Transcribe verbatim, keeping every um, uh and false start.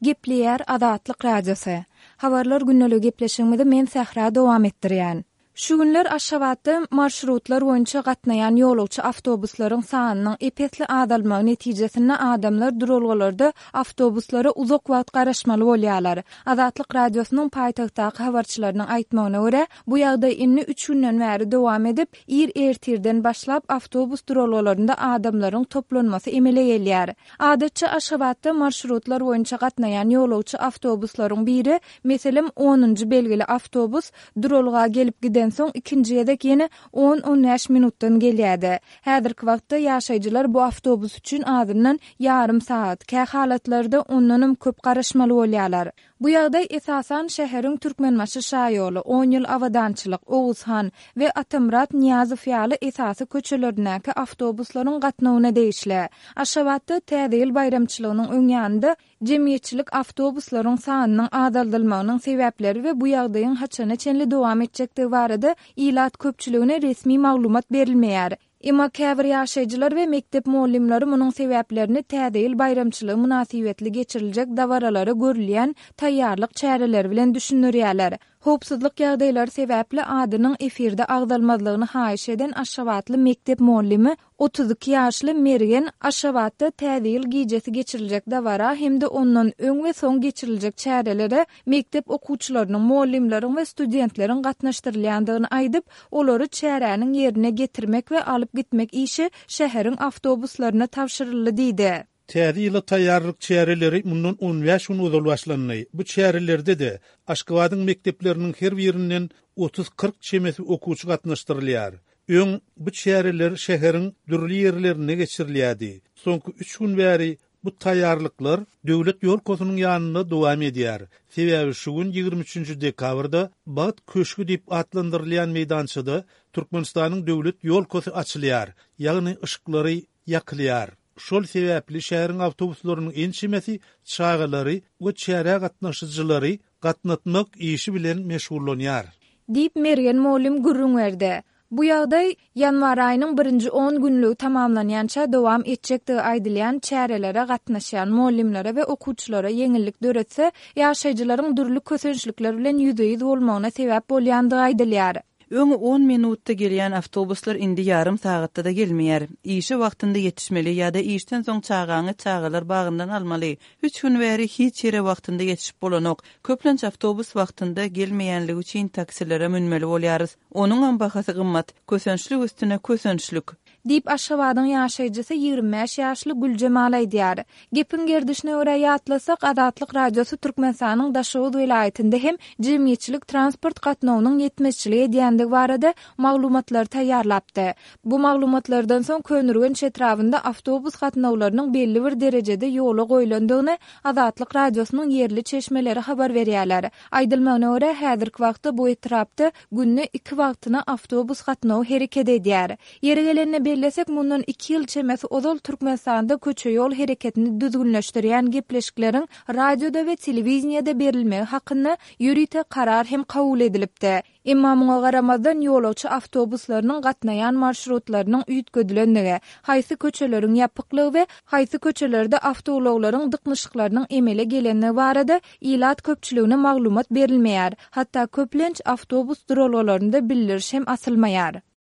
Gepleýär Azatlyk Radiosy. Habarlar gündeligi gepleşigimizi men Sähra dowam etdirýän. Şu günler Aşgabatda marşrutlar boýunça gatnaýan ýolagçy awtobuslaryň sanynyň ep-esli azalmagy netijesinde adamlar duralgalarda awtobuslara uzak wagt garaşmaly bolýarlar. Azatlyk Radiosynyň paýtagtdaky habarçylarynyň aýtmagyna görä, bu ýagdaý indi üç günden bäri dowam edip, ir ertirden başlap awtobus duralgalarynda adamlaryň toplanmasy emele gelýär. Adatça Aşgabatda marşrutlar boýunça gatnaýan ýolagçy awtobuslaryň biri, meselem, onunjy belgili awtobus duralga gelip gidensoň ikinji gezek ýene on-on bäş minutdan gelýärdi. Häzirki wagtda ýaşaýjylar bu awtobus üçin azyndan ýarym sagat, kä halatlarda ondanam köp garaşmaly bolýarlar. Bu ýagdaý esasan şäheriň Türkmenbaşy şaýoly, On ýyl abadançylyk, Oguzhan we Atamyrat Nyýazow ýaly esasy köçelerindäki awtobuslaryň gatnawyna degişli. Aşgabatda Täze ýyl baýramçylygynyň öň ýanynda jemgyýetçilik awtobuslaryň sanynyň azaldylmagynyň sebäpleri we bu ýagdaýyň haçana çenli dowam etjekdigi barada ilat köpçüligine resmi maglumat berilmeýär. Emma käbir ýaşaýjylar we mekdep mugallymlary munuň sebäplerini Täze ýyl baýramçylygy mynasybetli geçiriljek dabaralara görülýän taýýarlyk çäreleri bilen düşündirýärler. Howpsuzlyk ýagdaýlary sebäpli adynyň efirde agzalmazlygyny haýyş eden aşgabatly mekdep mugallymy otuz iki ýaşly Mergen Aşgabatda Täze ýyl gijesi geçiriljek dabara hem-de ondan öň we soň geçiriljek çärelere mekdep okuwçylarynyň, mugallymlaryň we studentleriň gatnaşdyrylýandygyny aýdyp, olary çäräniň ýerine getirmek we alyp gitmek işi şäheriň awtobuslaryna tabşyryldy diýdi. Täze ýyla taýýarlyk çäreleri mundan on bäş gün ozal başlandy. Bu çärelerde-de Aşgabadyň mekdepleriniň her birinden otuz-kyrk çemesi okuwçy gatnaşdyrylýar. Öň bu çäreler şäheriň dürli ýerlerinde geçirilýärdi. Soňky üç gün bäri bu taýýarlyklar döwlet ýolkasynyň ýanynda dowam edýär. Sebäbi şu gün ýigrimi üçünji dekabrda Bagt köşgi diýip atlandyrylýan meýdançada Türkmenistanyň döwlet ýolkasy açylýar, ýagny yşyklary ýakylýar. Şol sebäpli şäheriň awtobuslarynyň ençemesi çagalary we çärä gatnaşyjylary gatnatmak işi bilen meşgullanýar. Diýip, Mergen mugallym gürrüň berdi. Bu ýagdaý ýanwar aýynyň birinji on günlügi tamamlanýança dowam etjekdigi aýdylýan çärelere gatnaşýan mugallymlara we okuwçylara ýeňillik döretse, ýaşaýjylaryň dürli kösençlikler bilen ýüzbe-ýüz bolmagyna sebäp bolýandygy aýdylýar. Öň on minutda gelýän awtobuslar indi ýarym sagatda-da gelmeýär. Işe wagtynda ýetişmeli ýa-da işden soň çagaňy çagalar bagyndan almaly. Üç gün bäri hiç ýere wagtynda ýetişip bolanok. Köplenç awtobus wagtynda gelmeýänligi üçin taksilere münmeli bolýarys. Onuňam bahasy gymmat. Kösençlik üstüne kösençlik. Diýip, Aşgabadyň ýaşaýjysy ýigrimi bäş ýaşly Güljemal aýdýar. Gepiň gerdişine görä ýatlasak, Azatlyk Radiosy Türkmenistanyň Daşoguz welaýatynda hem jemgyýetçilik transport gatnawynyň ýetmezçilik edýändigi barada maglumatlary taýýarlapdy. Bu maglumatlardan soň Köneürgenç etrabynda awtobus gatnawlarynyň belli bir derejede ýola goýlandygyny Azatlyk Radiosynyň ýerli çeşmeleri habar berýärler. Aýdylmagyna görä, häzirki wagtda bu etrapda günde iki wagtyna awtobus gatnawy hereket edýär. Ýeri gelende bellesek, mundan iki ýyl çemesi ozal Türkmenistanda köçe-ýol hereketini düzgünleşdirýän gepleşikleriň radioda we telewideniýede berilmegi hakynda ýörite karar hem kabul edilipdi. Emma muňa garamazdan ýolagçy awtobuslarynyň gatnaýan marşrutlarynyň üýtgedilendigi, haýsy köçeleriň ýapyklygy we haýsy köçelerde awtoulaglaryň dyknyşyklarynyň emele gelendigi barada ilat köpçüligine maglumat berilmeýär, hatda köplenç awtobus duralgalarynda bildiriş hem asylmaýar.